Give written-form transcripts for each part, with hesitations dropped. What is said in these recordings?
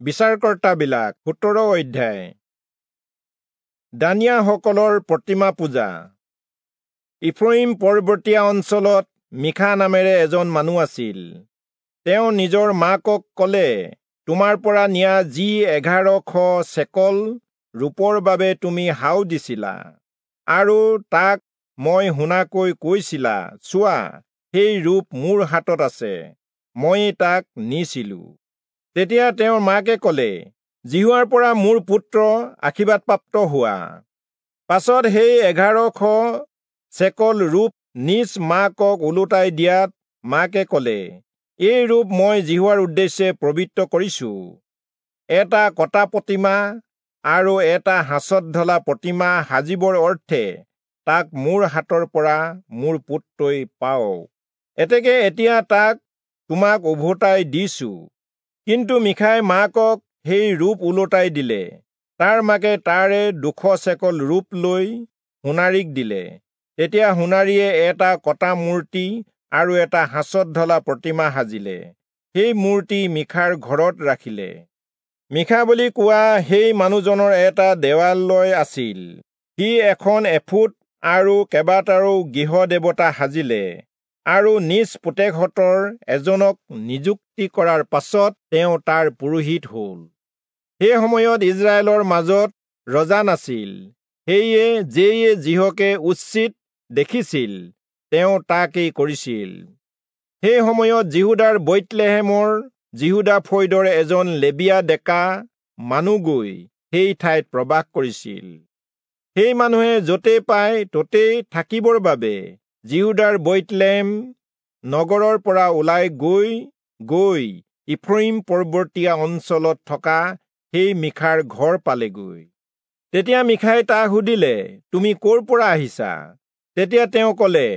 বিচাৰকৰ্তাবিলাক 17 অধ্যায়। দানিয়াসকলৰ প্ৰতিমা পূজা। ইফ্ৰয়িম পৰ্বতীয়া অঞ্চলত মিখা নামেৰে এজন মানুহ আছিল। তেওঁ নিজৰ মাকক ক'লে, তোমাৰ পৰা নিয়া যি 1100 চেকল ৰূপৰ বাবে তুমি হাও দিছিলা আৰু তাক মই শুনাকৈ কৈছিলা, চোৱা, সেই ৰূপ মোৰ হাতত আছে, ময়েই তাক নিছিলো। তেতিয়া তেওঁৰ মাকে ক'লে, যিহোৱাৰ পৰা মোৰ পুত্ৰ আশীৰ্বাদপ্ৰাপ্ত হোৱা। পাছত সেই 1100 চেকল ৰূপ নিজ মাকক ওলোটাই দিয়াত মাকে ক'লে, এই ৰূপ মই যিহোৱাৰ উদ্দেশ্যে পবিত্ৰ কৰিছো। এটা কটা প্ৰতিমা আৰু এটা সাঁচত ঢলা প্ৰতিমা সাজিবৰ অৰ্থে তাক মোৰ হাতৰ পৰা মোৰ পুত্ৰই পাওক। এতেকে এতিয়া তাক তোমাক উভতাই দিছো। কিন্তু মিখাই মাকক সেই ৰূপ ওলোটাই দিলে। তাৰ মাকে তাৰে 200 চেকল ৰূপ লৈ সোণাৰীক দিলে। তেতিয়া সোণাৰীয়ে এটা কটা মূৰ্তি আৰু এটা সাঁচত ঢলা প্ৰতিমা সাজিলে। সেই মূৰ্তি মিখাৰ ঘৰত ৰাখিলে। মিখা বুলি কোৱা সেই মানুহজনৰ এটা দেৱালয় আছিল। সি এখন এফুট আৰু কেইবাটাও গৃহ দেৱতা সাজিলে আৰু নিজ পুতেকহঁতৰ এজনক নিযুক্তি কৰাৰ পাছত তেওঁ তাৰ পুৰোহিত হ'ল। সেই সময়ত ইজৰাইলৰ মাজত ৰজা নাছিল। সেয়ে যেয়ে যিহকে উচিত দেখিছিল তেওঁ তাকেই কৰিছিল। সেই সময়ত যিহূদাৰ বৈৎলেহেমৰ যিহূদা ফৈদৰ এজন লেবীয়া ডেকা মানুহ গৈ সেই ঠাইত প্ৰবাস কৰিছিল। সেই মানুহে য'তেই পায় ত'তেই থাকিবৰ বাবে যিহূদাৰ বৈৎলেহেম নগৰৰ পৰা ওলাই গৈ গৈ ইফ্ৰয়িম পৰ্বতীয়া অঞ্চলত থকা সেই মিখাৰ ঘৰ পালেগৈ। তেতিয়া মিখাই তাক সুধিলে, তুমি ক'ৰ পৰা আহিছা? তেতিয়া তেওঁ ক'লে,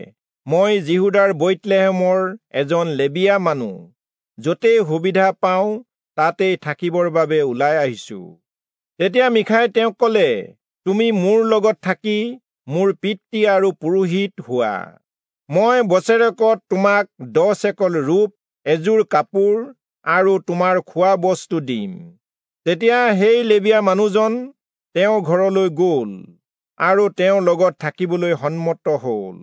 মই যিহূদাৰ বৈৎলেহেমৰ এজন লেবীয়া মানুহ, য'তেই সুবিধা পাওঁ তাতেই থাকিবৰ বাবে ওলাই আহিছো। তেতিয়া মিখাই তেওঁক ক'লে, তুমি মোৰ লগত থাকি মোৰ পিতৃ আৰু পুৰোহিত হোৱা। মই বছেৰেকত তোমাক 10 চেকল ৰূপ, এযোৰ কাপোৰ আৰু তোমাৰ খোৱা বস্তু দিম। তেতিয়া সেই লেবীয়া মানুহজন তেওঁৰ ঘৰলৈ গ'ল আৰু তেওঁৰ লগত থাকিবলৈ সন্মত হ'ল।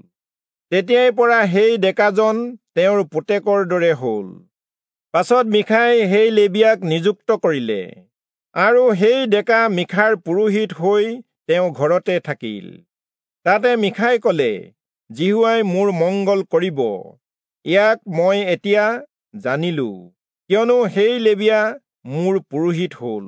তেতিয়াৰ পৰা সেই ডেকাজন তেওঁৰ পুতেকৰ দৰে হ'ল। পাছত মিখাই সেই লেবীয়াক নিযুক্ত কৰিলে আৰু সেই ডেকা মিখাৰ পুৰোহিত হৈ তেওঁ ঘৰতে থাকিল। তাতে মিখাই ক'লে, যিহোৱাই মোৰ মংগল কৰিব, ইয়াক মই এতিয়া জানিলো, কিয়নো সেই লেবীয়া মোৰ পুৰোহিত হ'ল।